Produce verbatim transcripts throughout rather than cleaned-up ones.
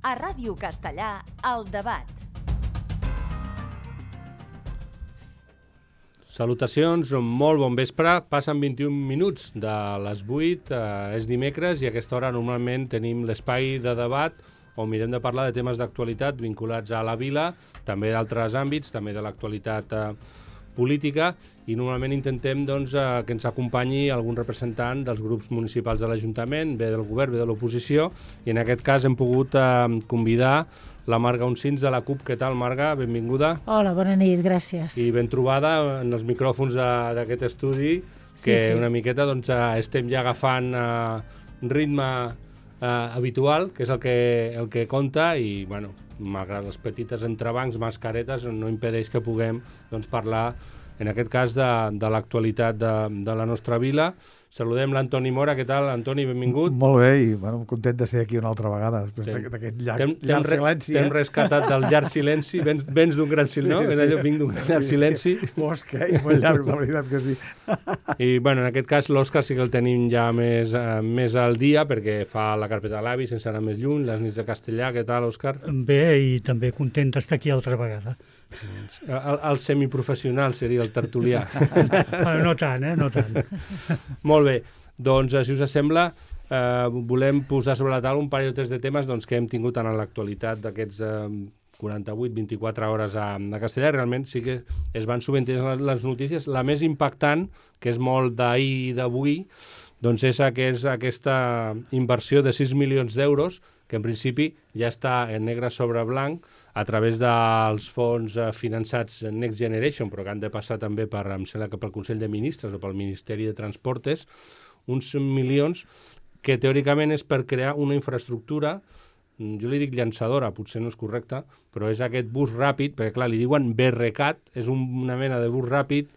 A Ràdio Castellà, El Debat. Salutacions, molt bon vespre. Passen vint-i-un minuts de les vuit, eh, és dimecres i a aquesta hora normalment tenim l'espai de debat on mirem de parlar de temes d'actualitat vinculats a la vila, també d'altres àmbits, també de l'actualitat eh, política, i normalment intentem doncs, eh, que ens acompanyi algun representant dels grups municipals de l'Ajuntament, bé del govern, bé de l'oposició, i en aquest cas hem pogut eh, convidar la Marga Uncins de la CUP. Què tal, Marga? Benvinguda. Hola, bona nit, gràcies. I ben trobada en els micròfons d'aquest estudi, que sí, sí. una miqueta doncs, estem ja agafant uh, ritme uh, habitual, que és el que, el que compta, i bueno, malgrat les petites entrebancs, mascaretes, no impedeix que puguem doncs, parlar, en aquest cas, de, de l'actualitat de, de la nostra vila. Saludem l'Antoni Mora. Què tal, Antoni? Benvingut. Molt bé, i bueno, content de ser aquí una altra vegada, després d'aquest llarg, llarg silenci. T'hem eh? rescatat del llarg silenci, vens, vens d'un gran silenci, sí, no? Sí, allò, vinc d'un llarg silenci. Fosc, eh? I molt llarg, la veritat que sí. I, bueno, en aquest cas, l'Òscar sí que el tenim ja més, uh, més al dia, perquè fa la carpeta de l'avi, sense anar més lluny, les nits de Castellà. Què tal, Òscar? Bé, i també content d'estar aquí altra vegada. El, el semiprofessional seria el tertulià. Bueno, no tant, eh? No tant. Molt bé. Doncs, si us sembla, eh, volem posar sobre la taula un parell o tres de temes doncs, que hem tingut en l'actualitat d'aquests eh, quaranta-vuit vint-i-quatre hores a, a Castellà. Realment sí que es van sovintejant les, les notícies. La més impactant, que és molt d'ahir i d'avui, doncs és aquest, aquesta inversió de sis milions d'euros, que en principi ja està en negre sobre blanc a través dels fons eh, finançats Next Generation, però que han de passar també per, em sembla que pel Consell de Ministres o pel Ministeri de Transportes, uns milions que teòricament és per crear una infraestructura, jo li dic llançadora, potser no és correcte, però és aquest bus ràpid, perquè clar, li diuen BRCAT, és un, una mena de bus ràpid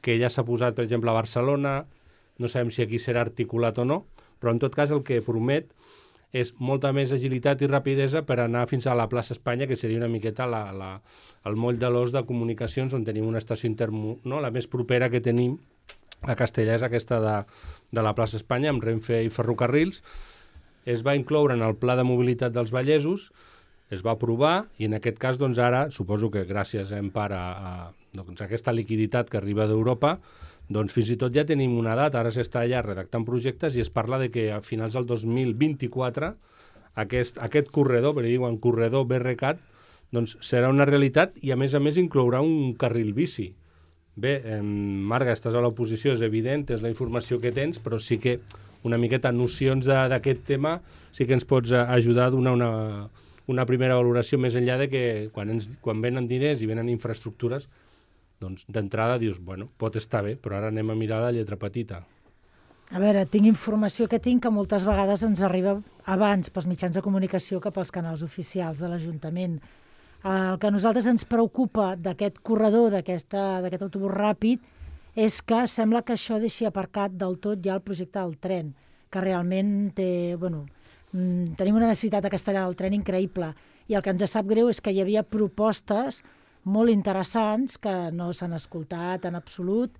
que ja s'ha posat, per exemple, a Barcelona, no sabem si aquí serà articulat o no, però en tot cas el que promet és molta més agilitat i rapidesa per anar fins a la plaça Espanya, que seria una miqueta la, la, el moll de l'os de comunicacions, on tenim una estació intermo, no? La més propera que tenim a Castellà és aquesta de, de la plaça Espanya, amb Renfe i ferrocarrils. Es va incloure en el Pla de Mobilitat dels Vallesos, es va aprovar, i en aquest cas, doncs ara, suposo que gràcies en part a, a, doncs, a aquesta liquiditat que arriba d'Europa, doncs fins i tot ja tenim una data, ara s'està allà redactant projectes i es parla de que a finals del dos mil vint-i-quatre aquest, aquest corredor, perquè diuen corredor BRCAT, doncs serà una realitat i a més a més inclourà un carril bici. Bé, eh, Marga, estàs a l'oposició, és evident, és la informació que tens, però sí que una miqueta nocions d'aquest tema sí que ens pots ajudar a donar una, una primera valoració més enllà de que quan, ens, quan venen diners i venen infraestructures, doncs d'entrada dius, bueno, pot estar bé, però ara anem a mirar la lletra petita. A veure, tinc informació que tinc que moltes vegades ens arriba abans pels mitjans de comunicació que pels canals oficials de l'Ajuntament. El que a nosaltres ens preocupa d'aquest corredor, d'aquest autobús ràpid, és que sembla que això deixi aparcat del tot ja el projecte del tren, que realment té, bueno, tenim una necessitat a Castellà del tren increïble, i el que ens sap greu és que hi havia propostes molt interessants que no s'han escoltat en absolut,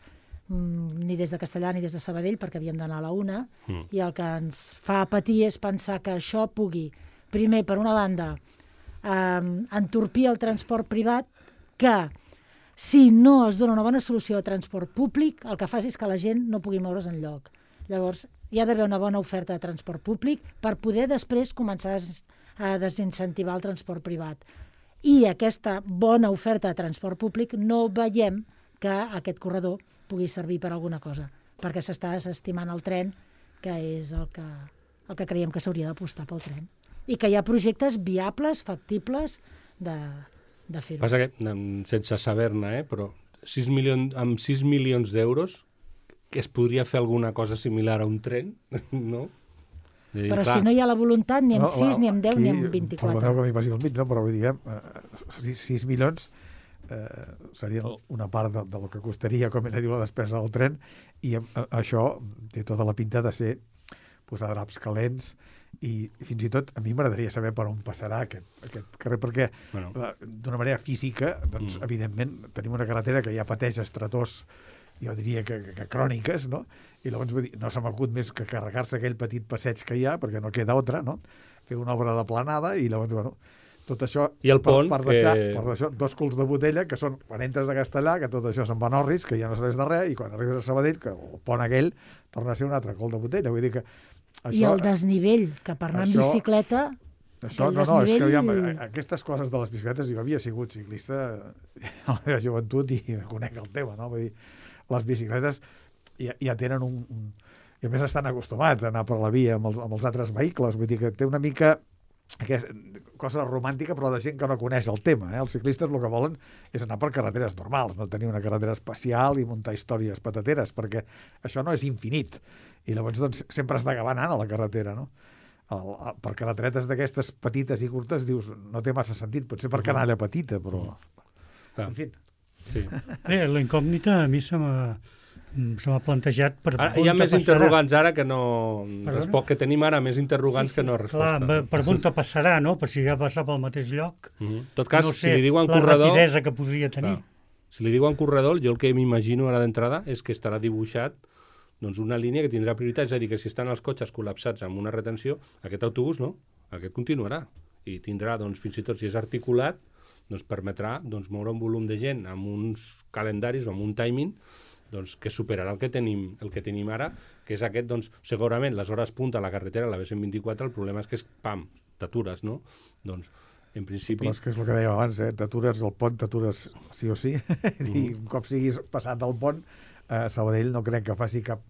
ni des de Castellà ni des de Sabadell, perquè havíem d'anar a la una, mm. i el que ens fa patir és pensar que això pugui, primer, per una banda, eh, entorpir el transport privat, que si no es dona una bona solució de transport públic, el que fa és que la gent no pugui moure's enlloc. Llavors, hi ha d'haver una bona oferta de transport públic per poder després començar a desincentivar el transport privat. I aquesta bona oferta de transport públic no veiem que aquest corredor pugui servir per alguna cosa, perquè s'està desestimant el tren, que és el que, el que creiem que s'hauria d'apostar pel tren. I que hi ha projectes viables, factibles, de, de fer-ho. Passa que, sense saber-ne, eh, però sis milions, amb sis milions d'euros que es podria fer alguna cosa similar a un tren, no? Dir, però clar, si no hi ha la voluntat, ni amb no, sis, ni amb deu, aquí, ni amb vint-i-quatre. Perdoneu que m'hi passi el mig, no? Però vull dir, eh, sis milions eh, serien una part de, del que costaria, com ella diu, la despesa del tren, i eh, això té tota la pinta de ser posar draps calents, i fins i tot a mi m'agradaria saber per on passarà aquest, aquest carrer, perquè bueno. d'una manera física, doncs, mm. evidentment, tenim una carretera que ja pateix estretors, jo diria que, que, que cròniques, no? I llavors vull dir, no se m'acut més que carregar-se aquell petit passeig que hi ha, perquè no queda altra, no? fer una obra de planada i llavors, bueno, tot això I el pont, per, per, deixar, que... per deixar dos culs de botella, que són, quan entres a Castellà, que tot això se'n va a Norris, que ja no serveix de res, i quan arribes a Sabadell, que el pont aquell torna a ser un altre cul de botella. Vull dir que això, I el desnivell, que per anar això, en bicicleta... Això, no, no, és que aviam, aquestes coses de les bicicletes, jo havia sigut ciclista a la meva joventut i conec el tema, no? Vull dir, les bicicletes ja, ja tenen un, un... I a més estan acostumats a anar per la via amb els, amb els altres vehicles, vull dir que té una mica aquesta cosa romàntica, però de gent que no coneix el tema. Eh? Els ciclistes el que volen és anar per carreteres normals, no tenir una carretera especial i muntar històries patateres, perquè això no és infinit. I llavors doncs, sempre has d'acabar anant a la carretera, no? El, el, per carreteretes d'aquestes petites i curtes dius, no té massa sentit, potser per canalla petita, però... Ah. En fi. Sí. Bé, la incògnita a mi se m'ha se m'ha plantejat per Ara, on hi ha més passarà. interrogants ara que no... Perdona? Respost, que tenim ara més interrogants Sí, sí. que no Clar, respostes. per on te passarà, no? Per si ja passa pel mateix lloc. Mm -hmm. En tot cas, no si sé, li diuen la corredor... rapidesa que podria tenir. Clar, si li diuen corredor, jo el que m'imagino ara d'entrada és que estarà dibuixat doncs, una línia que tindrà prioritat, és a dir, que si estan els cotxes col·lapsats amb una retenció, aquest autobús no, aquest continuarà. I tindrà, doncs, fins i tot si és articulat, doncs permetrà doncs, moure un volum de gent amb uns calendaris o amb un timing doncs, que superarà el que tenim el que tenim ara, que és aquest, doncs, segurament les hores punta a la carretera, la B cent vint-i-quatre, el problema és que és, pam, t'atures, no? Doncs, en principi... Però és que és el que dèiem abans, eh? T'atures al pont, t'atures sí o sí, mm. i un cop siguis passat del pont, eh, Sabadell no crec que faci cap,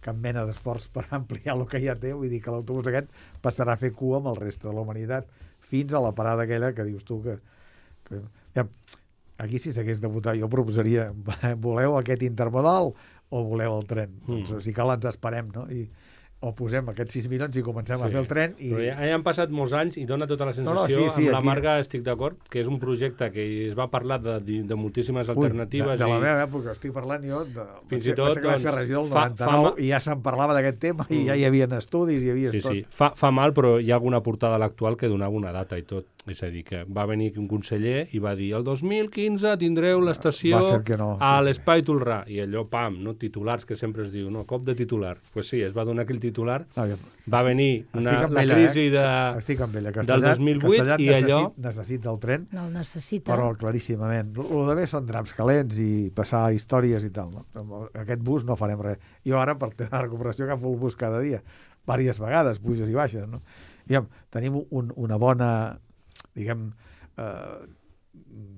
cap mena d'esforç per ampliar el que ja té, vull dir que l'autobús aquest passarà a fer cua amb el reste de la humanitat, fins a la parada aquella que dius tu que... que ja, aquí si s'hagués de votar jo proposaria, voleu aquest intermodal o voleu el tren? Mm. Doncs si cal ens esperem, no? I, o posem aquests sis milions i comencem sí. a fer el tren. I... Però ja, ja han passat molts anys i dona tota la sensació, no, no, sí, sí, amb la aquí... Marga estic d'acord, que és un projecte que es va parlar de, de, de moltíssimes Ui, alternatives. De, de la i... meva època, estic parlant jo, de, fins i tot, doncs, fer regidor del noranta-nou fa, i ja se'n parlava d'aquest tema mm. i ja hi havia estudis, hi havia sí, tot. Sí, fa, fa mal, però hi ha alguna portada a l'actual que donava una data i tot. És a dir, que va venir un conseller i va dir el dos mil quinze tindreu l'estació no, a sí, l'Espai Tolrà. I allò, pam, no? Titulars, que sempre es diu, no? Cop de titular. Doncs pues sí, es va donar aquell titular. Ah, va venir una, la ella, crisi eh? de, Estic amb ella. Castellà, del dos mil vuit Castellà i necessit, allò... necessita el tren, no el necessita. Però claríssimament. El de bé són draps calents i passar històries i tal. No? Amb aquest bus no farem res. Jo ara, per la recuperació, agafo el bus cada dia. Vàries vegades, puges i baixes. No? Diguem, tenim un, una bona, diguem, eh,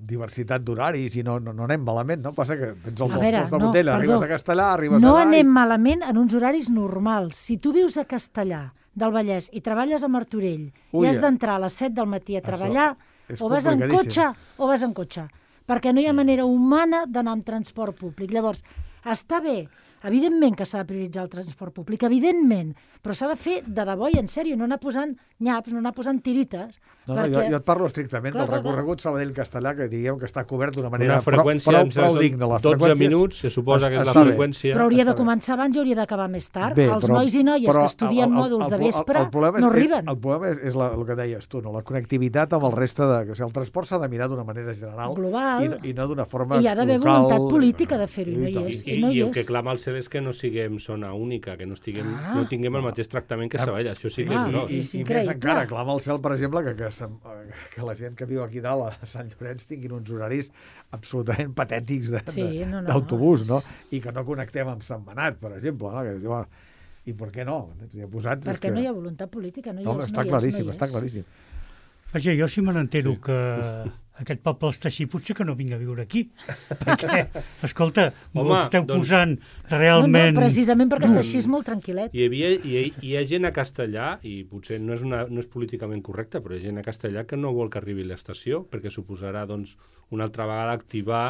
diversitat d'horaris i no, no, no anem malament, no? Passa que tens els dos punts de botella, no, arribes a Castellà, arribes no a... No anem i... malament en uns horaris normals. Si tu vius a Castellà del Vallès i treballes a Martorell Ui, i has d'entrar a les set del matí a treballar, o vas en cotxe o vas en cotxe, perquè no hi ha manera humana d'anar amb transport públic. Llavors, està bé, evidentment que s'ha de prioritzar el transport públic, evidentment, però s'ha de fer de debò i en sèrio, no anar posant nyaps, no anar posant tirites. No, no, perquè... jo, jo et parlo estrictament clar, del recorregut Sabadell-Castellà, que diguem que està cobert d'una manera una freqüència, prou, prou, prou digna. Les dotze minuts, se suposa que és la sí, freqüència. Però hauria de començar abans i hauria d'acabar més tard. Bé, els però, nois i noies però, que estudien el, el, mòduls el, de vespre el, el és, no arriben. El problema és, és la, el que deies tu, no? La connectivitat amb el reste de... O sigui, el transport s'ha de mirar d'una manera general global, i, no, i no d'una forma local. I hi ha d'haver voluntat política de fer-ho, i no hi és. I, i, i el que clama el cel és que no siguem zona única, que no, estiguem, ah, no tinguem el mateix tractament que Sabadell. Això sí que ah, és gros. I, i, i més encara, clama el cel, per exemple, que, que, que la gent que viu aquí dalt, a Sant Llorenç, tinguin uns horaris absolutament patètics d'autobús, sí, no, no, no? I que no connectem amb Sant Benat, per exemple. No? Que, bueno, i per què no? Ja posats, perquè que... no hi ha voluntat política, no hi no, és. Està no claríssim, és, no està claríssim. Vaja, jo si me n'entero sí. que aquest poble està així, potser que no vinc a viure aquí. Perquè, escolta, Home, esteu doncs... posant realment... No, no, precisament perquè està així és molt tranquil·let. Hi havia, hi, hi ha gent a Castellà, i potser no és, una, no és políticament correcte, però hi ha gent a Castellà que no vol que arribi l'estació, perquè suposarà doncs, una altra vegada activar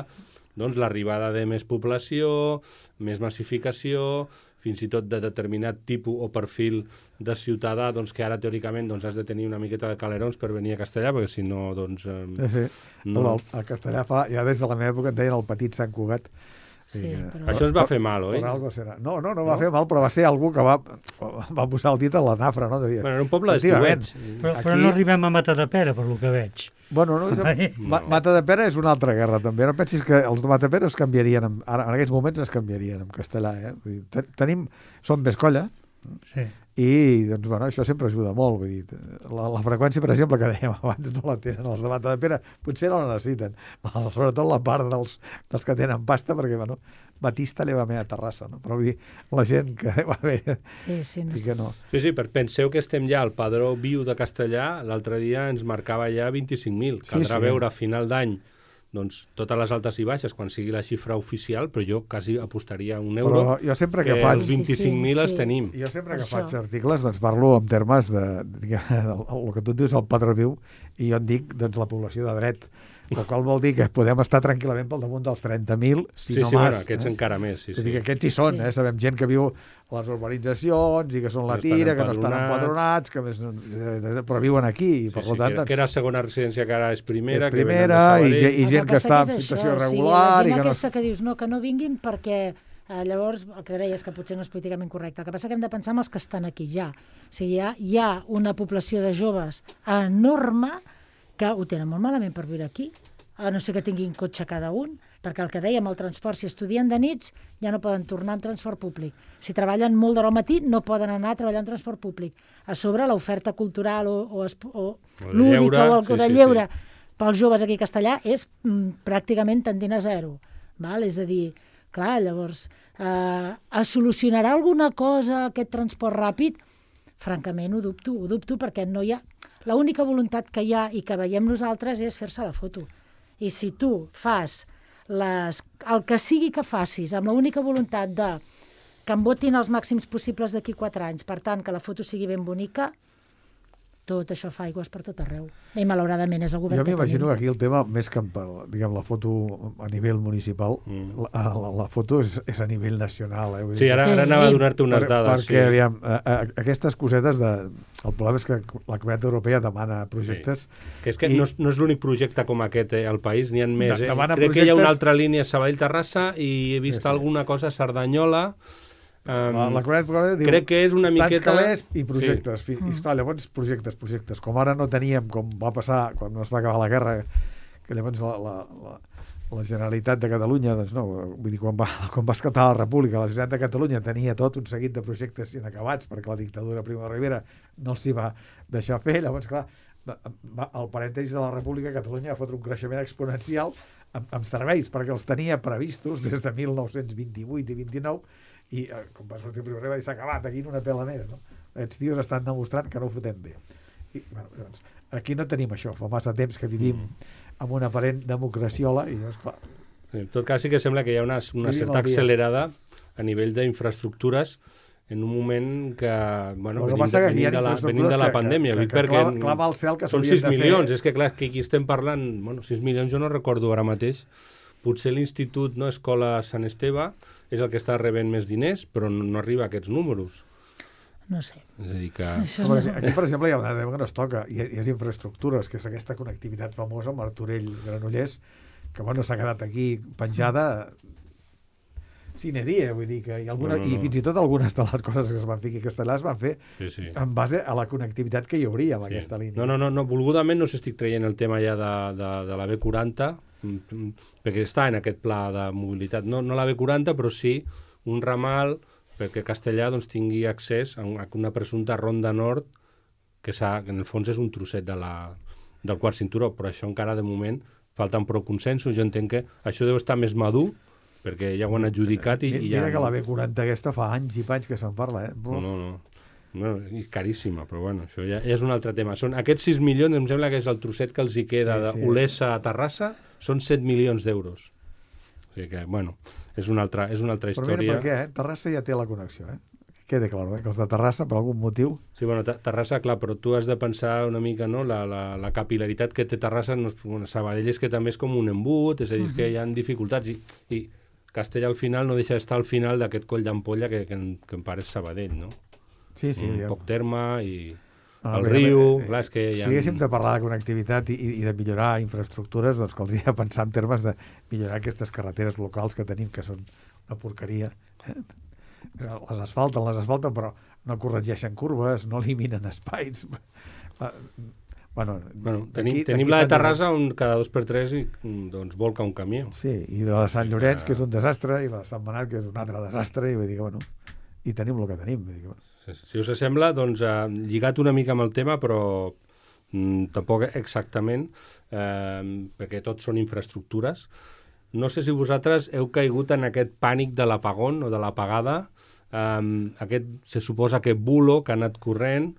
doncs, l'arribada de més població, més massificació, fins i tot de determinat tipus o perfil de ciutadà, doncs, que ara teòricament doncs, has de tenir una miqueta de calerons per venir a Castellà, perquè si no, doncs... Eh, sí, sí. No... A Castellà fa, ja des de la meva època en deien el petit Sant Cugat. Sí, però... Això es va fer mal, oi? No, no, no, no va fer mal, però va ser algú que va, va posar el dit a la nafra, no? Devia... Bueno, era un poble d'estiuets. Però, però no arribem a Matadepera, per lo que veig. Bueno, no, jo, no. Matadepera és una altra guerra, també. No pensis que els de Matadepera es canviarien, en, ara, en aquests moments es canviarien en castellà, eh? Ten, tenim, som més colla, sí. i doncs, bueno, això sempre ajuda molt. Vull dir, la, la freqüència, per exemple, que dèiem abans, no la tenen els de Matadepera, potser no la necessiten, sobretot la part dels, dels que tenen pasta, perquè, bueno, Batista li va bé a Terrassa, no? Però vull dir, la gent que va bé... Sí, sí, no i sé. que no. Sí, sí, però penseu que estem ja al padró viu de castellà, l'altre dia ens marcava ja vint-i-cinc mil. Caldrà Sí, sí. veure a final d'any doncs, totes les altes i baixes quan sigui la xifra oficial, però jo quasi apostaria un euro Però jo sempre que que faig... els vint-i-cinc mil Sí, sí, els sí. tenim. Jo sempre que Això. faig articles doncs parlo en termes de, de, de, el que tu et dius el padró viu, i jo en dic doncs, la població de dret, el qual vol dir que podem estar tranquil·lament pel damunt dels trenta mil, si sí, no sí, més. bueno, aquests eh? encara més. Sí, Vull sí. dir que aquests hi són, Sí. eh? Sabem gent que viu a les urbanitzacions i que són la No estan tira, que no estan empadronats. empadronats, que més, no- però viuen aquí, i per Sí, sí, tant, que, era, que era segona residència, que ara és primera, és que venen primera, de i, Sabadell. ge- i El gent que passa està en és situació això, o sigui, irregular... la i gent que no... aquesta que dius no, que no vinguin perquè eh, llavors el que deies que potser no és políticament correcte. El que passa que hem de pensar en els que estan aquí ja. O sigui, hi ha, hi ha una població de joves enorme que ho tenen molt malament per viure aquí, a no ser que tinguin cotxe cada un, perquè el que dèiem, el transport, si estudien de nits, ja no poden tornar en transport públic. Si treballen molt d'hora al matí, no poden anar a treballar en transport públic. A sobre, l'oferta cultural o, o, es- o, O de lúdica lleure, o el sí, de sí, lleure sí. pels joves aquí a Castellà és mm, pràcticament tendint a zero. Val? És a dir, clar, llavors, eh, es solucionarà alguna cosa aquest transport ràpid? Francament, ho dubto, ho dubto perquè no hi ha... L'única voluntat que hi ha i que veiem nosaltres és fer-se la foto. I si tu fas les, el que sigui que facis amb l'única voluntat de que em votin els màxims possibles d'aquí quatre anys, per tant, que la foto sigui ben bonica, tot això fa aigües per tot arreu. I malauradament és el govern Jo que m'imagino tenim. que aquí el tema, més que per, diguem, la foto a nivell municipal, Mm. la, la, la foto és, és a nivell nacional. Eh? Vull Sí, dir, ara, Sí. ara anava a donar-te unes per, dades. perquè, sí. aviam, a, a, aquestes cosetes de... El problema és que la Comunitat Europea demana projectes... Que és que I- no és, no és l'únic projecte com aquest eh, al país, n'hi ha més. De- Eh? demana Crec que hi ha una projectes- altra línia Sabadell-Terrassa i he vist Sí, sí. alguna cosa a Cerdanyola. Um, La, la Comunitat Europea diu... crec que és una tants miqueta... calés i projectes. Sí. Mm. I, esclar, llavors, projectes, projectes. Com ara no teníem, com va passar quan es va acabar la guerra, que llavors la, la, la, la Generalitat de Catalunya, doncs no, vull dir, quan va, quan va esclatar la República, la Generalitat de Catalunya tenia tot un seguit de projectes inacabats perquè la dictadura Primo de Rivera no els hi va deixar fer. Llavors, clar, va, va, el parèntesi de la República, Catalunya va fotre un creixement exponencial amb, amb serveis, perquè els tenia previstos des de mil nou-cents vint-i-vuit i vint-i-nou, i eh, com va sortir el Primo de Rivera, i s'ha acabat aquí en una pela més, no? Aquests tios estan demostrant que no ho fotem bé. I, bueno, doncs, aquí no tenim això, fa massa temps que vivim amb una aparent democraciola i doncs, clar, En tot cas, sí que sembla que hi ha una, una Vivim certa al dia. accelerada a nivell d'infraestructures en un moment que, bueno, el que venim, passa de, que aquí hi venim, ha de la, venim infraestructures de la que, pandèmia. que, vull dir, que, que perquè clava, clava al cel que són s'haurien sis de fer. milions. És que, clar, que aquí estem parlant... Bueno, sis milions jo no recordo ara mateix. Potser l'Institut, no, Escola Sant Esteve, és el que està rebent més diners, però no, no arriba a aquests números. No sé. És a dir que... Això Home, no... aquí, aquí, per exemple, hi ha una tema que no es toca, i, i és infraestructures, que és aquesta connectivitat famosa, Martorell-Granollers, que bueno, s'ha quedat aquí penjada sine die, vull dir que hi ha alguna, No, no, no. i fins i tot algunes de les coses que es van fer aquí a Castellà es van fer Sí, sí. en base a la connectivitat que hi hauria amb Sí. aquesta línia. No, no, no, no, volgudament no s'estic traient el tema ja de, de, de la B quaranta, mm, mm, perquè està en aquest pla de mobilitat. No, no la B quaranta, però sí un ramal perquè Castellà doncs, tingui accés a una, a una presumpta ronda nord que, s'ha, que en el fons és un trosset de la, del quart cinturó, però això encara de moment falten prou consensos. Jo entenc que això deu estar més madur perquè ja ho han adjudicat i, Mi- i ja... Mira que la B quaranta aquesta fa anys i panys que se'n parla, eh? No, no, no. No, és caríssima, però bueno, això ja, ja és un altre tema. Són aquests sis milions, em sembla que és el trosset que els hi queda Sí, sí. d'Olesa a Terrassa, són set milions d'euros. O sigui que, bueno, és una altra, és una altra Però mira història. per què, eh? Terrassa ja té la connexió, eh? Quede clar, eh? Que els de Terrassa, per algun motiu... Sí, bueno, Te- Terrassa, clar, però tu has de pensar una mica, no?, la, la, la capilaritat que té Terrassa, no, és- bueno, Sabadell és que també és com un embut, és a dir, uh -huh. que hi ha dificultats, i, i Castella al final no deixa d'estar al final d'aquest coll d'ampolla que, que, en, que en part és Sabadell, no? Sí, sí. un ja. poc terme i Ah, el bé, riu, bé, eh, clar, és que hi ha... Si haguéssim de parlar de connectivitat i, i de millorar infraestructures, doncs caldria pensar en termes de millorar aquestes carreteres locals que tenim, que són una porqueria. Eh? Les asfalten, les asfalten, però no corregeixen curves, no eliminen espais. Ah, Bueno, Bueno, tenim, aquí- tenim aquí la de Sant Terrassa on cada dos per tres i, doncs, volca un camió. Sí, i la de Sant Llorenç, que és un desastre, i la de Sant Manat, que és un altre desastre, i vull dir que, bueno, i tenim el que tenim. Si us sembla, doncs, eh, lligat una mica amb el tema, però mm, tampoc exactament, eh, perquè tots són infraestructures. No sé si vosaltres heu caigut en aquest pànic de l'apagón o de l'apagada, eh, aquest, se suposa que bulo que ha anat corrent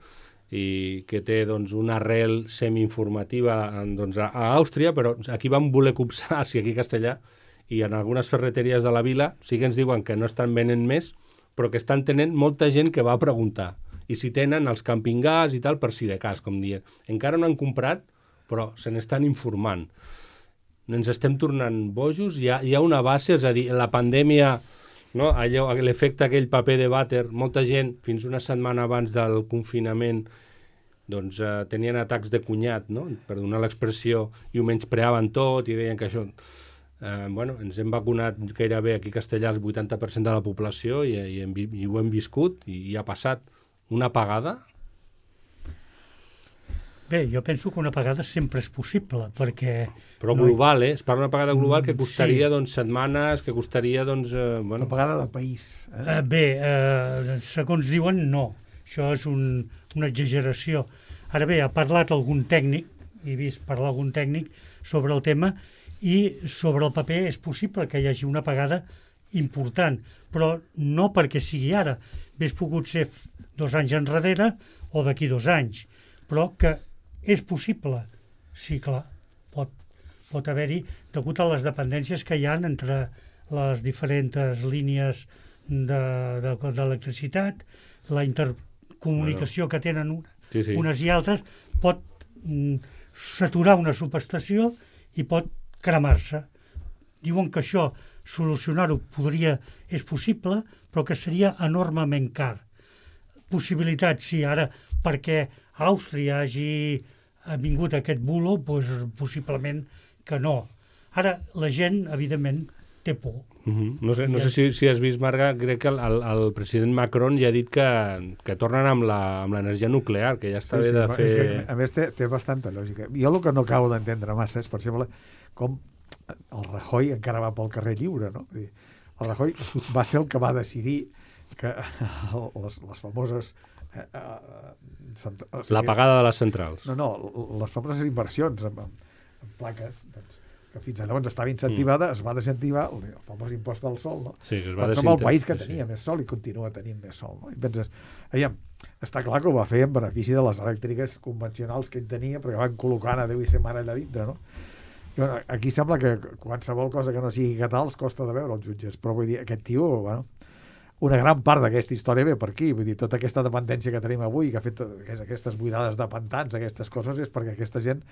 i que té doncs, una arrel semi-informativa doncs, a, a Àustria, però aquí van voler copsar, si aquí a Castellà, i en algunes ferreteries de la vila sí que ens diuen que no estan venent més, però que estan tenint molta gent que va a preguntar. I si tenen els camping-gas i tal, per si de cas, com dient. Encara no han comprat, però se n'estan informant. Ens estem tornant bojos, hi ha, hi ha una base, és a dir, la pandèmia, no? Allò, l'efecte aquell paper de vàter, molta gent, fins una setmana abans del confinament, doncs eh, tenien atacs de cunyat, no? Per donar l'expressió, i ho menyspreaven tot, i deien que això... Eh, bueno, ens hem vacunat gairebé aquí a Castellà el vuitanta per cent de la població i, i, hem, i ho hem viscut i, i ha passat una apagada. Bé, jo penso que una apagada sempre és possible, perquè... Però global, no hi... eh? Es parla d'una apagada global que costaria sí. doncs, setmanes, que costaria... Doncs, eh, bueno... Una apagada de país. Eh? Uh, bé, uh, segons diuen, no. Això és un, una exageració. Ara bé, ha parlat algun tècnic, he vist parlar algun tècnic sobre el tema, i sobre el paper és possible que hi hagi una apagada important, però no perquè sigui ara. Hauria pogut ser dos anys enrere o d'aquí dos anys, però que és possible. Sí, clar, pot, pot haver-hi, degut a les dependències que hi ha entre les diferents línies d'electricitat, de, de, la intercomunicació bueno. que tenen una, sí, sí. unes i altres, pot mm, saturar una subestació i pot cremar-se. Diuen que això, solucionar-ho podria, és possible, però que seria enormement car. Possibilitat, sí, ara, perquè Àustria hagi vingut aquest bulo, doncs possiblement que no. Ara, la gent, evidentment, té por. Uh-huh. No sé, no sé si, si has vist, Marga, crec que el, el, el president Macron ja ha dit que, que tornen amb l'energia nuclear, que ja està sí, bé sí, de fer... Que, a més, té, té bastanta lògica. Jo el que no acabo d'entendre massa és, per exemple, com el Rajoy encara va pel carrer lliure, no? El Rajoy va ser el que va decidir que les, les famoses... Eh, eh, cent... o sigui, l'apagada de les centrals. No, no, les famoses inversions en, en, en plaques, doncs, que fins llavors estava incentivada, mm. es va desincentivar el, el famós impost del sol, no? Sí, que es va som el país que tenia sí. més sol i continua tenint més sol, no? I penses, aviam, està clar que ho va fer en benefici de les elèctriques convencionals que ell tenia, perquè van col·locant a Déu i ser mare allà dintre, no? I, bueno, aquí sembla que qualsevol cosa que no sigui català els costa de veure els jutges, però vull dir, aquest tio, bueno, una gran part d'aquesta història ve per aquí, vull dir, tota aquesta dependència que tenim avui, que ha fet aquestes buidades de pantans, aquestes coses, és perquè aquesta gent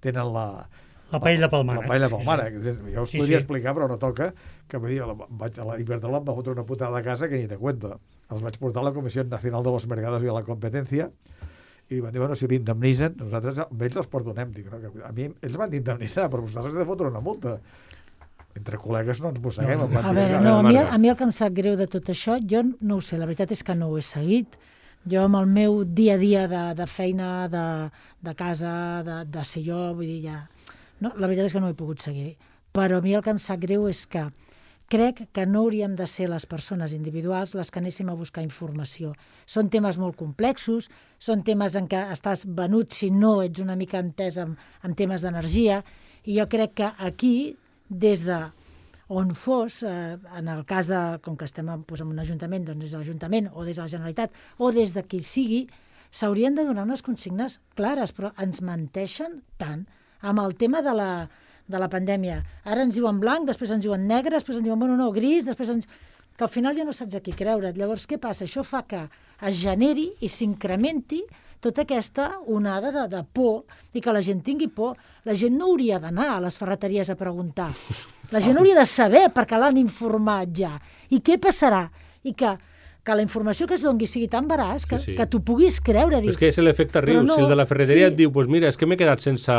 tenen la... La paella pel mare. La paella pel mare. Sí, sí. Jo us sí, podria sí. explicar, però no toca, que vull dir, vaig a l'Iberdrola, em va fotre una putada de casa que ni te cuento. Els vaig portar a la Comissió Nacional de los Mercados y a la Competencia, i van dir, bueno, si l'indemnitzen, nosaltres amb ells els perdonem. Dic, no? Que a mi ells van indemnitzar, però vosaltres heu de fotre una multa. Entre col·legues no ens mosseguem. No, a veure, no, a mi, a mi el que em sap greu de tot això, jo no ho sé, la veritat és que no ho he seguit. Jo amb el meu dia a dia de, de feina, de, de casa, de, de ser jo, vull dir, ja... No, la veritat és que no ho he pogut seguir. Però a mi el que em sap greu és que crec que no hauríem de ser les persones individuals les que anéssim a buscar informació. Són temes molt complexos, són temes en què estàs venut si no ets una mica entès en, en temes d'energia, i jo crec que aquí, des de on fos, eh, en el cas de, com que estem en, doncs, en un ajuntament, doncs des de l'Ajuntament o des de la Generalitat o des de qui sigui, s'haurien de donar unes consignes clares, però ens menteixen tant amb el tema de la, de la pandèmia. Ara ens diuen blanc, després ens diuen negre, després ens diuen, bueno, no, gris, després ens... que al final ja no saps a qui creure't. Llavors, què passa? Això fa que es generi i s'incrementi tota aquesta onada de, de por i que la gent tingui por. La gent no hauria d'anar a les ferreteries a preguntar. La gent hauria de saber perquè l'han informat ja. I què passarà? I que, que la informació que es doni sigui tan veraç que, sí, sí. que tu puguis creure. Dir, és que és l'efecte riu. No, si el de la ferreteria sí. et diu, pues mira, és que m'he quedat sense,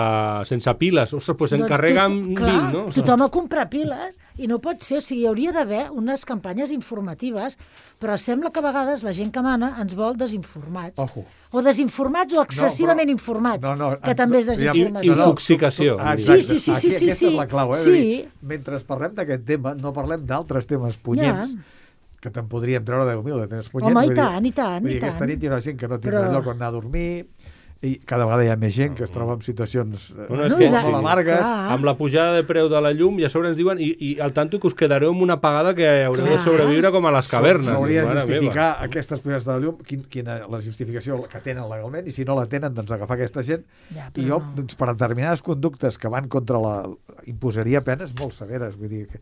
sense piles. Ostres, pues doncs encarrega'm tot, clar, vint, no? Tothom a comprar piles i no pot ser. O sigui, hi hauria d'haver unes campanyes informatives, però sembla que a vegades la gent que mana ens vol desinformats. Ojo. O desinformats o excessivament no, però, informats, no, no, que també és desinformació. Intoxicació. Ah, sí, sí, sí, sí, Aquí, sí, aquesta sí. és la clau. Eh? Sí. Dir, mentre parlem d'aquest tema, no parlem d'altres temes punyents, ja. que te'n podríem treure deu mil, de tens punyets. Home, i tant, i tant, vull dir, i tant. aquesta nit hi ha gent que no tindrà Però... lloc on anar a dormir, i cada vegada hi ha més gent que es troba en situacions eh, Bueno, és No, que, i de- molt amargues. Clar. amb la pujada de preu de la llum i a sobre ens diuen i, i al tanto que us quedareu amb una pagada que haureu de Clar. sobreviure com a les cavernes. S'hauria de Mare justificar meva. aquestes pujades de la llum, quin, quina la justificació que tenen legalment, i si no la tenen, doncs agafar aquesta gent. Ja, I però jo, no. doncs, per determinades conductes que van contra la... imposaria penes molt severes, vull dir, que,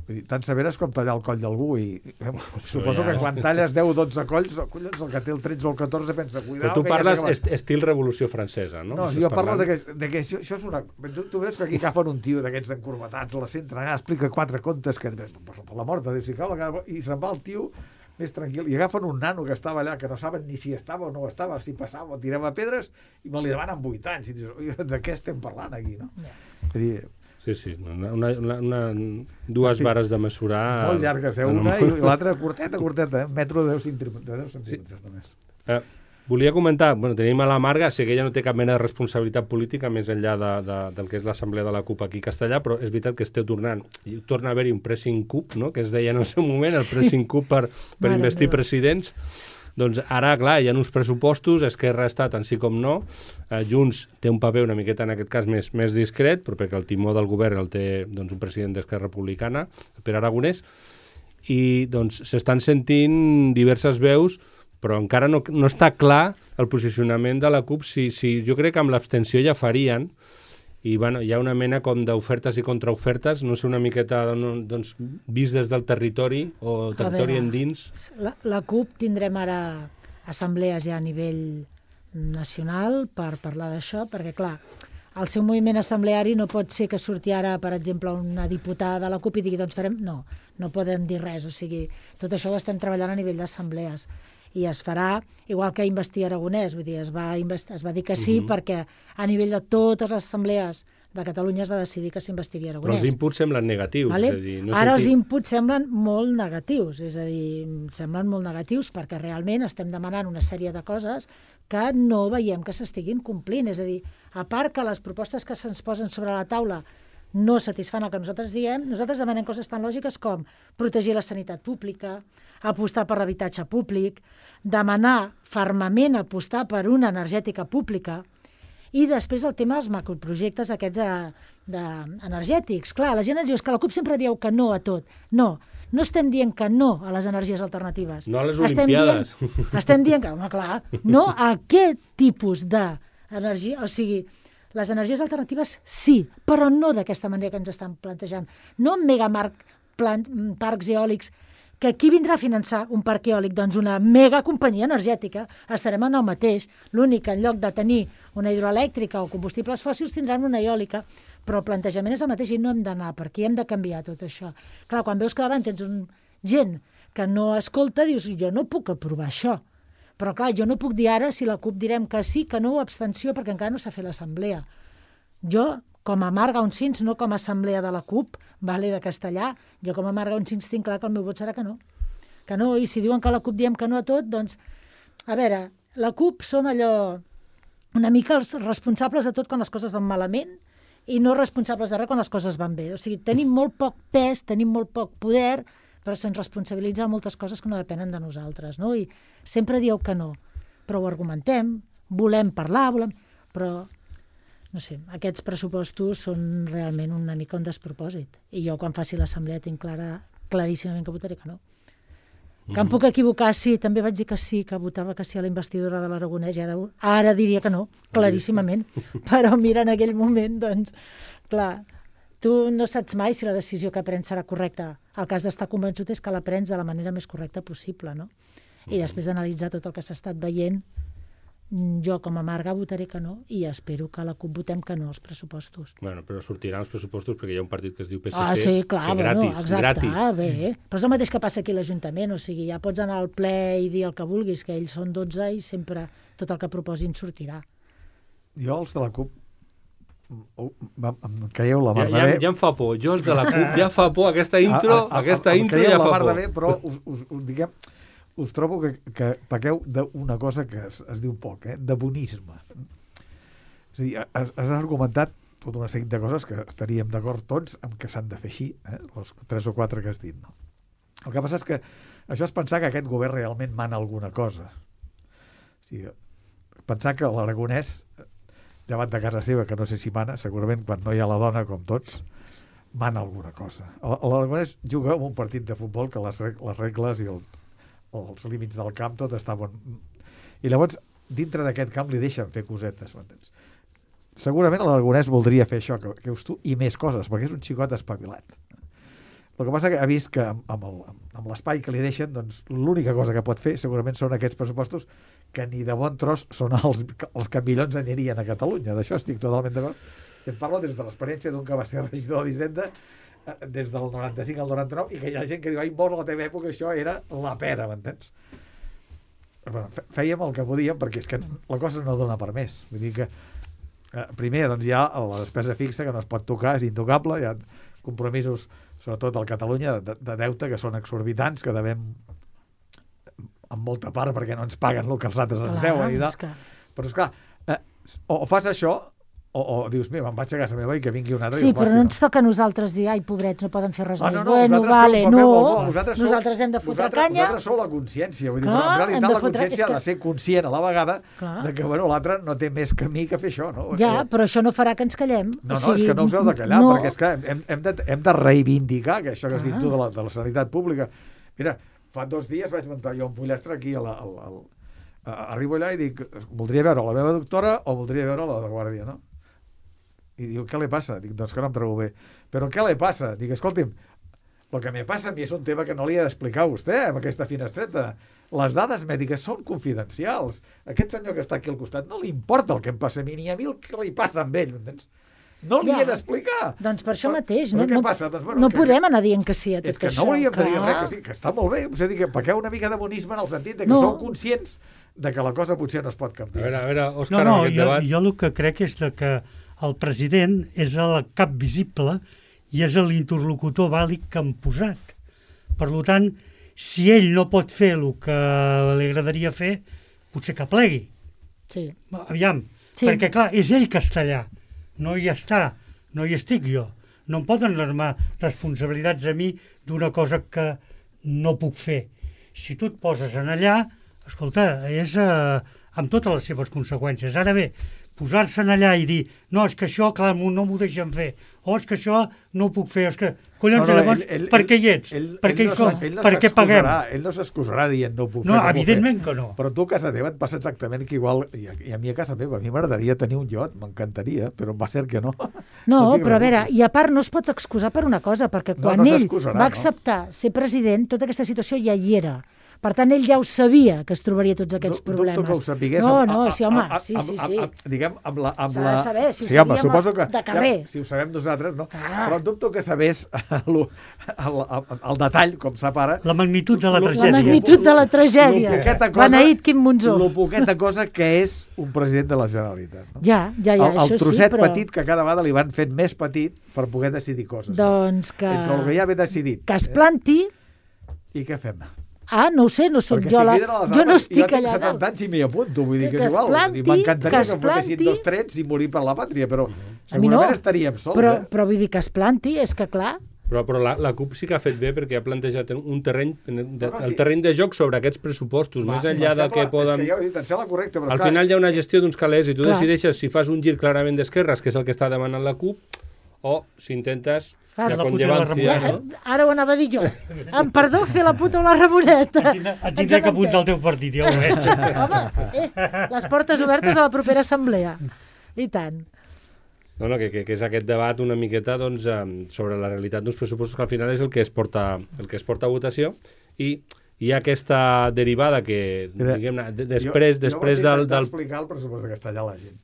vull dir tan severes com tallar el coll d'algú, i eh, suposo ja. que quan talles deu o dotze colls, collons, el que té el tretze o el catorze pensa, Però cuidao, tu que ja parles s'ha acabat. est estil Revolució Francesa, no? No, Estàs jo parlo parlant? de que, de que això, això és una... Tu, tu veus que aquí agafen un tio d'aquests encurvatats, la centren allà, explica quatre contes, que per, per la mort de Déu, si cau, i se'n va el tio més tranquil, i agafen un nano que estava allà, que no saben ni si estava o no estava, si passava o tirava pedres, i me li demanen vuit anys, i dius, "Oi, de què estem parlant aquí, no?" Ja. És a dir, Sí, sí, una, una, una, una, dues vares de mesurar... molt llargues, eh? Una i l'altra curteta, curteta, eh? Metro de deu centímetres només. Eh, volia comentar, bueno, tenim a la Marga, sé que ella no té cap mena de responsabilitat política més enllà de, de, del que és l'assemblea de la CUP aquí a Castellà, però és veritat que esteu tornant, i torna a haver-hi un pressing CUP, no?, que es deia en el seu moment, el pressing CUP per, per Mare investir meva. presidents. Doncs ara, clar, hi ha uns pressupostos, Esquerra està tant sí com no, eh, Junts té un paper una miqueta, en aquest cas, més, més discret, però perquè el timó del govern el té doncs, un president d'Esquerra Republicana, Pere Aragonès, i doncs s'estan sentint diverses veus, però encara no, no està clar el posicionament de la CUP. Si, si, jo crec que amb l'abstenció ja farien, i bueno, hi ha una mena com d'ofertes i contraofertes, no sé, una miqueta doncs, vist des del territori o territori veure, endins. La, la CUP tindrem ara assemblees ja a nivell nacional per parlar d'això, perquè clar, el seu moviment assembleari no pot ser que surti ara, per exemple, una diputada de la CUP i digui, doncs farem... No, no poden dir res, o sigui, tot això ho estem treballant a nivell d'assemblees. I es farà, igual que investir Aragonès, vull dir, es va, invest... es va dir que sí, Mhm. perquè a nivell de totes les assemblees de Catalunya es va decidir que s'investiria Però Aragonès. els inputs semblen negatius. Vale? És a dir, no Ara els sentim... inputs semblen molt negatius, és a dir, semblen molt negatius perquè realment estem demanant una sèrie de coses que no veiem que s'estiguin complint. És a dir, a part que les propostes que se'ns posen sobre la taula no satisfan el que nosaltres diem, nosaltres demanem coses tan lògiques com protegir la sanitat pública, apostar per l'habitatge públic, demanar fermament apostar per una energètica pública, i després el tema dels macroprojectes aquests de, de energètics. Clar, la gent ens diu que la CUP sempre diu que no a tot. No, no estem dient que no a les energies alternatives. No a les estem Olimpiades. Dient, estem dient que, home, clar, no a aquest tipus d'energia, o sigui, les energies alternatives sí, però no d'aquesta manera que ens estan plantejant. No amb megamarc, plant, parcs eòlics, que qui vindrà a finançar un parc eòlic? Doncs una mega companyia energètica. Estarem en el mateix. L'únic que en lloc de tenir una hidroelèctrica o combustibles fòssils tindran una eòlica, però el plantejament és el mateix i no hem d'anar per aquí, hem de canviar tot això. Clar, quan veus que davant tens un gent que no escolta, dius, jo no puc aprovar això. Però clar, jo no puc dir ara si la CUP direm que sí, que no, o abstenció, perquè encara no s'ha fet l'assemblea. Jo, com a Marga Uncins, no com a assemblea de la CUP, vale, de Castellà, jo com a Marga Uncins tinc clar que el meu vot serà que no. Que no, i si diuen que la CUP diem que no a tot, doncs, a veure, la CUP som allò una mica els responsables de tot quan les coses van malament i no responsables de res quan les coses van bé. O sigui, tenim molt poc pes, tenim molt poc poder, però se'ns responsabilitza moltes coses que no depenen de nosaltres, no? I sempre dieu que no, però ho argumentem, volem parlar, volem... però, no sé, aquests pressupostos són realment una mica un despropòsit. I jo, quan faci l'assemblea, tinc clara, claríssimament que votaré que no. Que em puc equivocar, sí, també vaig dir que sí, que votava que sí a la investidura de l'Aragonès, i ara, ara diria que no, claríssimament. Però mira, en aquell moment, doncs, clar, tu no saps mai si la decisió que prens serà correcta. El cas d'estar convençut és que la prens de la manera més correcta possible, no? I després d'analitzar tot el que s'ha estat veient, jo com a Marga votaré que no i espero que a la CUP votem que no als pressupostos. Bueno, però sortiran els pressupostos perquè hi ha un partit que es diu P S C, Ah, sí, clar, que bueno, gratis, exacte, gratis. Ah, bé. Però és el mateix que passa aquí a l'Ajuntament, o sigui, ja pots anar al ple i dir el que vulguis, que ells són dotze i sempre tot el que proposin sortirà. Jo, els de la CUP, oh, va, em creieu la mar Ja, de ja, bé. ja em fa por, jo els de la CUP ja fa por, aquesta intro, A- a- a- aquesta em intro creieu ja la fa mar por. de bé, però us, us, us, diguem, us trobo que, que pequeu d'una cosa que es, es diu poc, eh? De bonisme. És a dir, has, has argumentat tota una sèrie de coses que estaríem d'acord tots amb que s'han de fer així, eh? Les tres o quatre que has dit, no? El que passa és que això és pensar que aquest govern realment mana alguna cosa. O sigui, pensar que l'Aragonès, llevat de casa seva, que no sé si mana, segurament quan no hi ha la dona, com tots, mana alguna cosa. L'Aragonès juga en un partit de futbol que les, les regles i el, els límits del camp tot està bon. I llavors, dintre d'aquest camp li deixen fer cosetes, m'entens? Segurament l'Aragonès voldria fer això, que, que us tu, i més coses, perquè és un xicot espavilat. El que passa que ha vist que amb, amb, el, amb l'espai que li deixen, doncs l'única cosa que pot fer segurament són aquests pressupostos que ni de bon tros són els, els que millors anirien a Catalunya. D'això estic totalment d'acord. Em parlo des de l'experiència d'un que va ser regidor d'Hisenda des del noranta-cinc al noranta-nou i que hi ha gent que diu, ai, mort, a la teva època això era la pera, m'entens? Bueno, fèiem el que podíem perquè és que la cosa no dona per més. Vull dir que eh, primer doncs, hi ha la despesa fixa que no es pot tocar, és intocable, hi ha compromisos, sobretot al Catalunya, de, de deute que són exorbitants, que devem en molta part perquè no ens paguen el que els altres ens deuen. I que... Però, esclar, eh, o, o fas això o, o dius, mira, me'n vaig a casa meva i que vingui un altre. Sí, i però faci, no ens toca a nosaltres dir, ai, pobrets, no poden fer res ah, més. No, no, bueno, vale, som, no, nosaltres, nosaltres som, hem de fotre nosaltres, canya. Nosaltres som la consciència, vull dir, Clar, però en realitat la fotre... consciència que... ha de ser conscient a la vegada Clar. de que, bueno, l'altre no té més camí que fer això, no? Ja, però això no farà que ens callem. No, no, o sigui, és que no us heu de callar, no... perquè és que hem, hem, de, hem de reivindicar que això que has dit tu de la, de la sanitat pública. Mira, fa dos dies vaig muntar jo un pollastre aquí a la, al, al, a, arribo allà i dic, voldria veure la meva doctora o voldria veure la de guàrdia, no? I diu, què li passa? Dic, doncs que no em trobo bé. Però què li passa? Dic, escolti'm, el que me passa a mi és un tema que no li he d'explicar a vostè amb aquesta finestreta. Les dades mèdiques són confidencials. Aquest senyor que està aquí al costat no li importa el que em passa a mi, ni a mi el que li passa amb ell, m'entens? No li ja. he d'explicar. Doncs per això però, mateix. Però no, què no, passa? Doncs, bueno, no que, podem anar dient que sí a tot això. És que això. no hauríem clar. de dir res que sí, que està molt bé. És a dir, que pequeu una mica de bonisme en el sentit de que no. sou conscients de que la cosa potser no es pot canviar. A veure, a veure, Òscar, no, no, en aquest jo, debat... jo el que crec és que el president és el cap visible i és l'interlocutor vàlid que han posat. Per tant, si ell no pot fer el que li agradaria fer, potser que plegui. Sí. Aviam, sí. perquè clar, és ell que està allà. No hi està, no hi estic jo. No em poden armar responsabilitats a mi d'una cosa que no puc fer. Si tu et poses en allà, escolta, és eh, amb totes les seves conseqüències. Ara bé, posar-se en allà i dir, no, és que això, clar, no m'ho deixen fer, o és que això no ho puc fer, és que, collons, no, no, llavors, ell, ell, per què hi ets? Ell, per què ell hi som? No, no per què paguem? Ell no s'excusarà dient no ho puc no, fer, no evidentment fer. Que no. Però tu a casa teva et passa exactament que igual, i a, i a mi a casa meva, a mi m'agradaria tenir un iot, m'encantaria, però va ser que no. No, no però a veure, i a part no es pot excusar per una cosa, perquè quan no, no ell va no? acceptar ser president, tota aquesta situació ja hi era. Per tant, ell ja ho sabia, que es trobaria tots aquests no, problemes. Dubto que ho sapigués. No, amb, no, a, sí, home, a, a, sí, sí, sí. Amb, amb, diguem, amb la... Amb S'ha la... de saber, si ho sí, home, sabíem que, de carrer. Ja, si ho sabem nosaltres, no. Ah. Però dubto que sabés el, el, el, el detall, com sap ara... La magnitud de la lo, tragèdia. La magnitud de la tragèdia. Beneït Quim Monzó. La poqueta cosa que és un president de la Generalitat. No? Ja, ja, ja, el, això el trosset sí, però... petit que cada vegada li van fent més petit per poder decidir coses. Doncs que... Entre el que ja ve decidit. Que es planti... Eh? I què fem? Ah, no ho sé, no soc Perquè jo si la... dades, Jo no estic jo tinc allà setanta anys i m'hi apunto, vull dir que, que és igual. planti, M'encantaria que, que que em fotessin planti... dos trets i morir per la pàtria, però A mi no, segurament estaríem sols. Però, eh? però vull dir que es planti, és que clar... Però, però la, la CUP sí que ha fet bé perquè ha plantejat un terreny, de, no, no, el sí. terreny de joc sobre aquests pressupostos, Va, més enllà de que poden... És que ja ho he dit, em sembla correcte, però Al clar, final hi ha una gestió d'uns calés i tu Clar. decideixes si fas un gir clarament d'esquerres, que és el que està demanant la CUP, o si intentes Fas la la puta conllevancia, i la no? Ara ho anava a dir jo. Em perdó fer la puta o la Ramoneta. Et tindré, et tindré que apuntar al teu partit, ja ho veig. Home, eh, les portes obertes a la propera assemblea. I tant. No, no, que, que, que és aquest debat una miqueta doncs, eh, sobre la realitat d'uns pressupostos que al final és el que es porta, el que es porta a votació i hi ha aquesta derivada que, Mira, diguem-ne, de- després, jo, després jo del... vaig del... explicar el pressupost de castellà a la gent.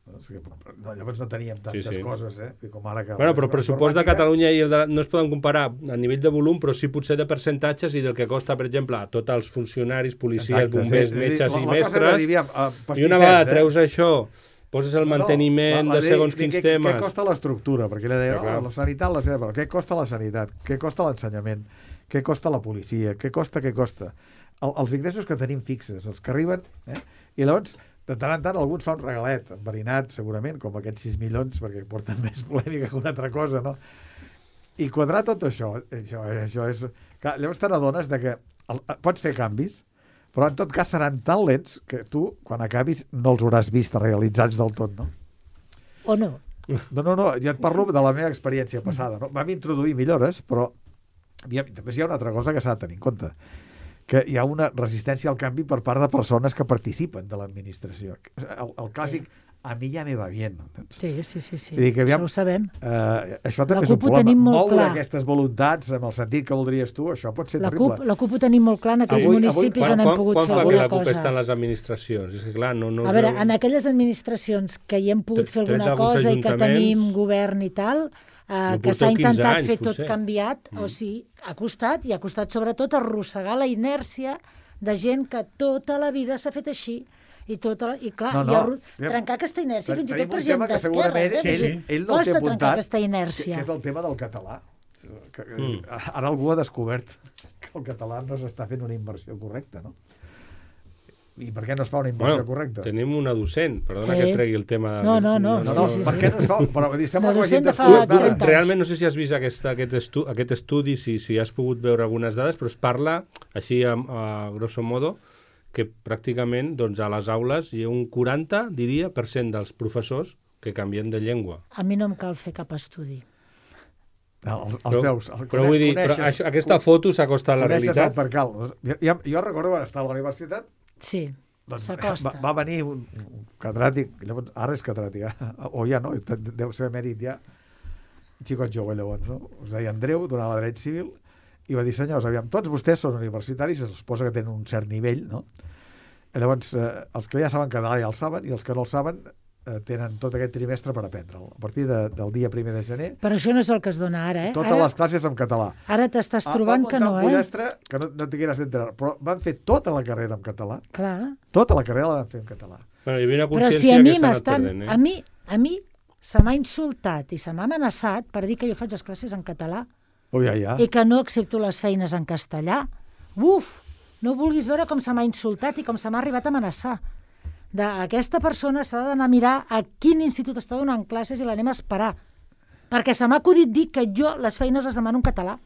No, és que, no, llavors no teníem tantes Sí, sí. coses, eh? Que com ara que Bueno, però el la pressupost de informàtica- Catalunya i el de... no es poden comparar a nivell de volum, però sí potser de percentatges i del que costa, per exemple, a tots els funcionaris, policies, Exacte, bombers, sí. metges La- i la cosa era mestres, dir, aviam, eh, i una pastissers, vegada eh? treus això, poses el manteniment No, la- la de llei segons de quins què, temes... Què costa l'estructura? Perquè ella deia, Ja, clar. oh, la sanitat, la sanitat, però què costa la sanitat? Què costa l'ensenyament? Què costa la policia? Què costa, què costa? El, els ingressos que tenim fixes, els que arriben, eh? I llavors, de tant en tant, alguns fa un regalet, enverinat, segurament, com aquests sis milions, perquè porten més polèmica que una altra cosa, no? I quadrar tot això, això, això és... Clar, llavors te n'adones de que el, pots fer canvis, però en tot cas seran tan lents que tu, quan acabis, no els hauràs vist realitzats del tot, no? O no? No, no, no, ja et parlo de la meva experiència passada. No? Vam introduir millores, però també hi ha una altra cosa que s'ha de tenir en compte, que hi ha una resistència al canvi per part de persones que participen de l'administració. El, el clàssic, a mi ja me va bien. Sí, sí, sí, sí. Dir que, aviam, això ho sabem. Eh, això també La és un CUP ho problema. tenim molt Moure clar. aquestes voluntats amb el sentit que voldries tu, això pot ser La terrible. CUP, la CUP ho tenim molt clar en aquells Avui- avui- municipis Quan, on hem quan, pogut quan fer fa que alguna la CUP està en cosa. les administracions? És que, clar, no, no A us veure, heu- en aquelles administracions que hi hem pogut Tret- fer tret alguna d'alguns cosa i que ajuntaments, tenim govern i tal, eh, no que s'ha porteu quinze intentat anys, fer tot potser. canviat, Mm. o sigui, ha costat, i ha costat sobretot arrossegar la inèrcia de gent que tota la vida s'ha fet així. I, tota la, i clar, No, no. i arro- trencar aquesta inèrcia, fins i Tenim tot per un gent tema que d'esquerra, segurament eh? Sí, Vull sí. dir, ell no el té costa trencar apuntat, aquesta que, inèrcia. que és el tema del català. Que, Mm. Ara algú ha descobert que el català no s'està fent una inversió correcta, no? I per què no es fa una inversió Bueno, correcta? tenim una docent, perdona Sí. que tregui el tema... No, no, no, No, sí, no, sí, per sí. què no es fa? Però vull dir, sembla Una que ho hagin docent de fa descobert ara. trenta anys. Realment no sé si has vist aquesta, aquest, estu, aquest estudi, si, si has pogut veure algunes dades, però es parla, així a, a grosso modo, que pràcticament doncs, a les aules hi ha un quaranta, diria, per cent dels professors que canvien de llengua. A mi no em cal fer cap estudi. No, els, els Però, veus. El, però vull dir, però això, aquesta foto s'acosta a la coneixes realitat. el percal. Jo, jo recordo quan estava a la universitat, Sí, doncs, s'acosta. va, va venir un, un catedràtic, llavors, ara és catedràtic, eh? o ja no, deu ser emèrit ja, un xicot jove llavors, no? Es deia Andreu, donava dret civil, i va dir, senyors, aviam, tots vostès són universitaris, es suposa que tenen un cert nivell, no? I llavors, eh, els que ja saben català ja el saben, i els que no el saben eh, tenen tot aquest trimestre per aprendre'l. A partir de, del dia primer de gener, Però això no és el que es dona ara, eh? totes Ara, les classes en català. ara t'estàs Ah, trobant van que muntar no, un eh? pollastre que no, no t'hi quieres enterar, però van fer tota la carrera en català, Clar. tota la carrera la van fer en català. Bueno, hi havia una Però consciència si a mi que s'ha anat m'estan... perdent, eh? A mi, a mi se m'ha insultat i se m'ha amenaçat per dir que jo faig les classes en català Oh, ja, ja. i que no accepto les feines en castellà. Uf! No vulguis veure com se m'ha insultat i com se m'ha arribat a amenaçar. D'aquesta persona s'ha d'anar a mirar a quin institut està donant classes i l'anem a esperar. Perquè se m'ha acudit dir que jo les feines les demano en català.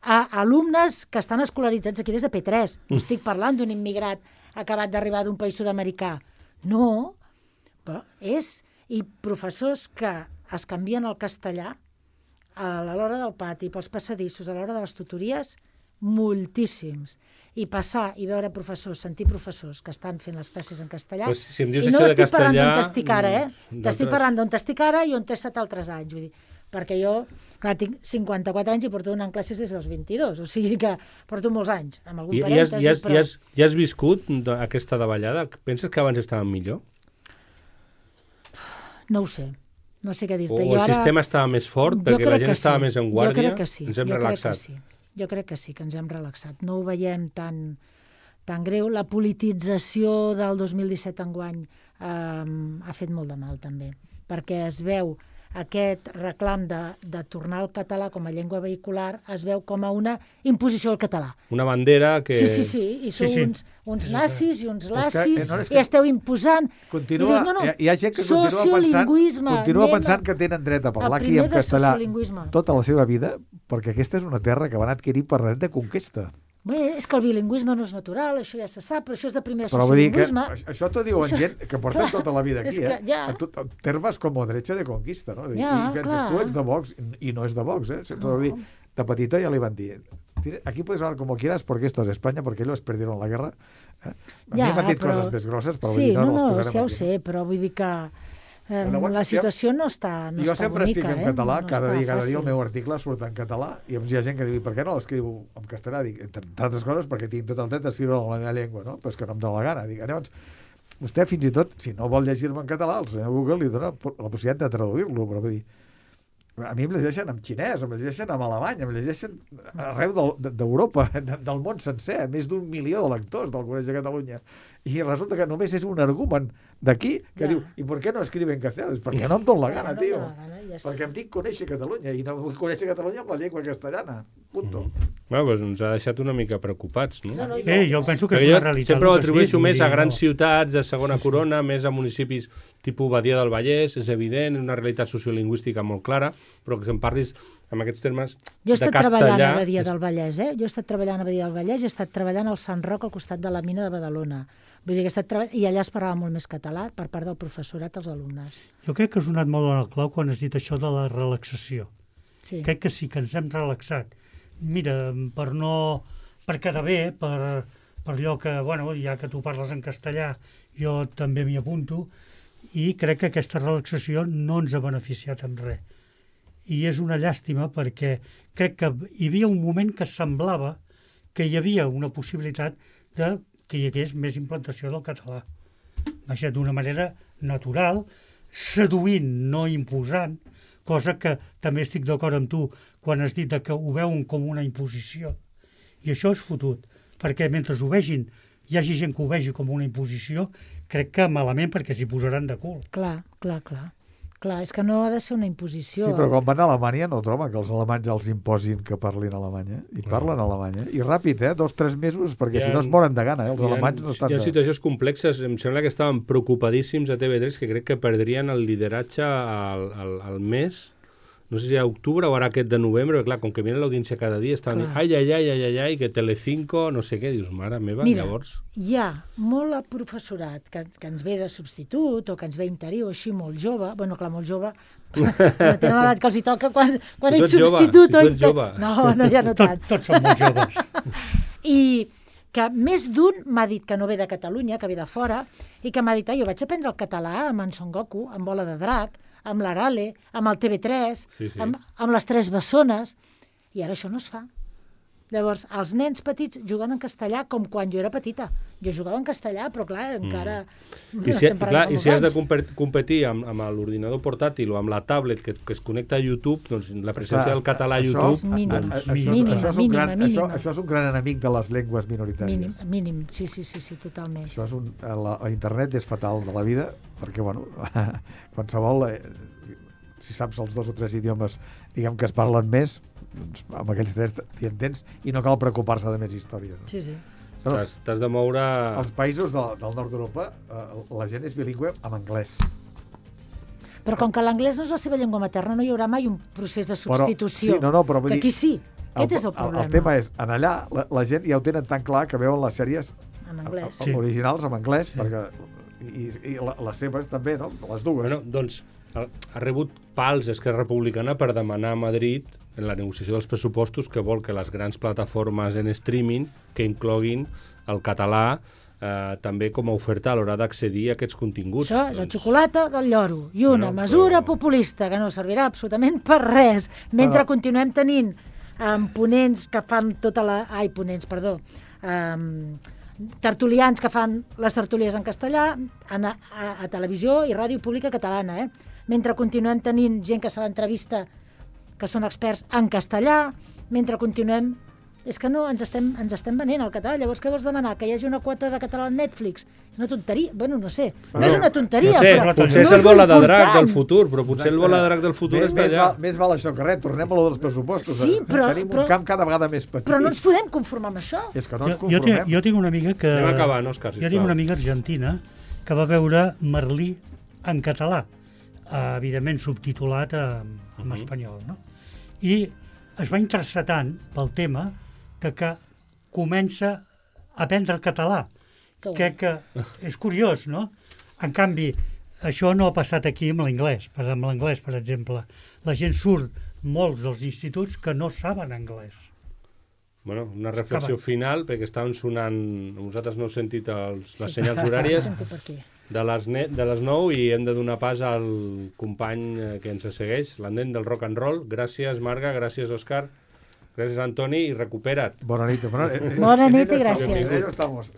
A alumnes que estan escolaritzats aquí des de P tres. No estic parlant d'un immigrat acabat d'arribar d'un país sud-americà. No, però és... I professors que es canvien al castellà a l'hora del pati, pels passadissos, a l'hora de les tutories, moltíssims. I passar i veure professors, sentir professors que estan fent les classes en castellà. Pues si em dius I no això de estic parlant castellà, d'on estic ara, eh? mm, T'estic d'altres- parlant d'on estic ara i on t'he estat altres anys. Vull dir, perquè jo, clar, tinc cinquanta-quatre anys i porto donant classes des dels vint-i-dos, o sigui que porto molts anys, amb algun I, i, has, parèntesi, i, has, però... i, has, I has viscut de- aquesta davallada? Penses que abans estaven millor? No ho sé, no sé què O dir-te. el sistema estava més fort Jo perquè la crec gent que estava sí. més en Jo guàrdia? crec que sí. Ens hem jo relaxat. Crec que sí. Jo crec que sí, que ens hem relaxat. No ho veiem tan, tan greu. La politització del dos mil disset enguany eh, ha fet molt de mal, també, perquè es veu aquest reclam de, de tornar al català com a llengua vehicular, es veu com a una imposició al català. Una bandera que... Sí, sí, sí, i sou Sí, sí. uns, uns nazis i uns És que, lacis, eh, no, és i que esteu imposant... Continua, I dius, no, no, hi, ha, hi ha gent que continua pensant, sociolingüisme, continua anem pensant a- que tenen dret a parlar el aquí primer en de castellà sociolingüisme. tota la seva vida, perquè aquesta és una terra que van adquirir per dret de conquesta. Bé, és que el bilingüisme no és natural, això ja se sap, però això és de primer Però vull dir que sociolingüisme. això- això t'ho diuen Això- gent que porta clar, tota la vida aquí, és que eh? ja. A, tot, a termes com derecha de conquista, no? Ja, I penses, clar. tu ets de Vox, i no és de Vox, eh? Sempre No. vull dir, de petito ja li van dir, aquí puedes hablar como quieras porque esto es España, porque ellos perdieron la guerra. Eh? A Ja, mi m'han dit però- coses més grosses, però vull Sí, dir, no, no, no, no, les posarem ja ho aquí. sé, però vull dir que eh, Llavors, la ja- situació no està, no jo està sempre bonica, estic en eh? català, no cada està dia, cada dia el fàcil. meu article surt en català, i llavors hi ha gent que diu, per què no l'escriu en castellà? Dic, entre altres coses, perquè tinc tot el dret d'escriure en la meva llengua, no? Però és que no em dóna la gana. Dic, llavors, vostè fins i tot, si no vol llegir-me en català, el senyor Google li dona la possibilitat de traduir-lo, però vull dir, a mi em llegeixen en xinès, em llegeixen en alemany, em llegeixen arreu del- d'Europa, de, del món sencer, més d'un milió de lectors del Col·legi de Catalunya. I resulta que només és un argument d'aquí que Ja. diu, i per què no escribe en castellà? És perquè no em dóna la Ja, gana, no tio. em dóna la gana, ja està. Perquè em dic conèixer Catalunya i no vull conèixer Catalunya amb la llengua castellana. Punto. Mm. Bueno, doncs ens ha deixat una mica preocupats, no? No, no, Eh, jo penso que és Perquè una jo realitat. sempre ho el que has atribueixo dit, més vull a dir, grans no. ciutats de segona Sí, sí. corona, més a municipis tipus Badia del Vallès, és evident, una realitat sociolingüística molt clara, però que se'n parlis en aquests termes Jo he de estat treballant castellà... a Badia és- del Vallès, eh? Jo he estat treballant a Badia del Vallès i he estat treballant al Sant Roc al costat de la mina de Badalona. Vull dir que he estat treball... I allà es parlava molt més català per part del professorat als alumnes. Jo crec que has donat molt en el clau quan has dit això de la relaxació. Sí. Crec que sí, que ens hem relaxat. Mira, per no... per quedar bé, per, per allò que, bueno, ja que tu parles en castellà, jo també m'hi apunto, i crec que aquesta relaxació no ens ha beneficiat en res. I és una llàstima perquè crec que hi havia un moment que semblava que hi havia una possibilitat de que hi hagués més implantació del català. Vaja, d'una manera natural, seduint, no imposant, cosa que també estic d'acord amb tu quan has dit que ho veuen com una imposició. I això és fotut, perquè mentre ho vegin, hi hagi gent que ho vegi com una imposició, crec que malament perquè s'hi posaran de cul. Clar, clar, clar. Clar, és que no ha de ser una imposició. Sí, però quan van a Alemanya no troben que els alemanys els imposin que parlin alemany, eh? I parlen alemany, eh? I ràpid, eh? Dos, tres mesos, perquè Hi ha- si no es moren de gana, eh? Els Hi ha, alemanys no estan... hi ha de- situacions complexes. Em sembla que estaven preocupadíssims a T V tres, que crec que perdrien el lideratge al, al, al mes, no sé si a octubre o ara aquest de novembre, perquè clar, com que viene l'audiència cada dia, estaven Clar. dient, ai, ai, ai, ai, ai, ai, que Telecinco, no sé què, dius, mare meva, Mira, llavors... hi ha molt professorat que, que ens ve de substitut o que ens ve interí o així molt jove, bueno, clar, molt jove, no tenen l'edat que els hi toca quan, quan Tu ets ets jove, substitut. si tu o ets inter- jove. No, no, ja no tant. Tot, tots som molt joves. I que més d'un m'ha dit que no ve de Catalunya, que ve de fora, i que m'ha dit, ah, jo vaig aprendre el català amb en Son Goku, amb Bola de Drac, amb l'Arale, amb el T V tres, Sí, sí. amb, amb les Tres Bessones, i ara això no es fa. Llavors, els nens petits juguen en castellà com quan jo era petita. Jo jugava en castellà, però clar, encara... I si, estem parlant clar, de i molts si has de anys. compe- competir amb, amb l'ordinador portàtil o amb la tablet que, que es connecta a YouTube, doncs la presència del català a Això- YouTube... És mínima. a- a- doncs, això, Mínima, això, és un mínima, gran, mínima. Això, això és un gran enemic de les llengües minoritàries. Mínim, mínim, sí, sí, sí, sí, totalment. Això és un, la, la internet és fatal de la vida, perquè, bueno, qualsevol... Eh, si saps els dos o tres idiomes, diguem que es parlen més, doncs amb aquells tres t'hi entens i no cal preocupar-se de més històries. No? Sí, sí. Però T'has t'has de moure... als països de, del nord d'Europa eh, la gent és bilingüe amb anglès. Però com que l'anglès no és la seva llengua materna, no hi haurà mai un procés de substitució. sí, no, no, però vull que dir- aquí sí. Aquest és el El, problema. el tema és, en allà la, la gent ja ho tenen tan clar que veuen les sèries En anglès. a- a- originals en anglès, sí. perquè i, i la, les seves també, no? Les dues. Bueno, doncs ha, ha rebut pals Esquerra Republicana per demanar a Madrid en la negociació dels pressupostos que vol que les grans plataformes en streaming que incloguin el català eh, també com a oferta a l'hora d'accedir a aquests continguts. Això és la xocolata del lloro i una Bueno, mesura però- populista que no servirà absolutament per res, mentre Però- continuem tenint um, ponents que fan tota la... Ai, ponents, perdó. Um, tertulians que fan les tertúlies en castellà a, a, a televisió i ràdio pública catalana, eh? Mentre continuem tenint gent que se l'entrevista que són experts en castellà, mentre continuem... És que no, ens estem, ens estem venent al català. Llavors, què vols demanar? Que hi hagi una quota de català al Netflix? És una tonteria. Bueno, no sé. No, Bueno, és una tonteria, no sé, però... potser no és el bola de drac important. del futur, però potser el bola de drac del futur més, està més, allà. val, més val això que res, tornem a lo dels pressupostos. Sí, eh? però- Tenim però- un camp cada vegada més petit. Però no ens podem conformar amb això. És que no ens Jo, jo, tinc, conformem. jo tinc una amiga que... Anem acabant, Òscar, Jo sisplau. tinc una amiga argentina que va veure Merlí en català, eh, evidentment subtitulat eh, en Mhm. espanyol, no? I es va interessar tant pel tema que, que comença a aprendre el català. Que guai. Crec que és curiós, no? En canvi, això no ha passat aquí amb l'anglès, per, amb l'anglès, per exemple. La gent surt molts dels instituts que no saben anglès. Bueno, una reflexió final, perquè estaven sonant, vosaltres no heu sentit els, les Sí. senyals horàries, Sento per aquí. de les, ne de les nou i hem de donar pas al company eh, que ens segueix, l'andent del rock and roll. Gràcies, Marga, gràcies, Òscar, gràcies, Antoni, i recupera't. Bona nit. Bona, Bona nit i gràcies. En ello estamos.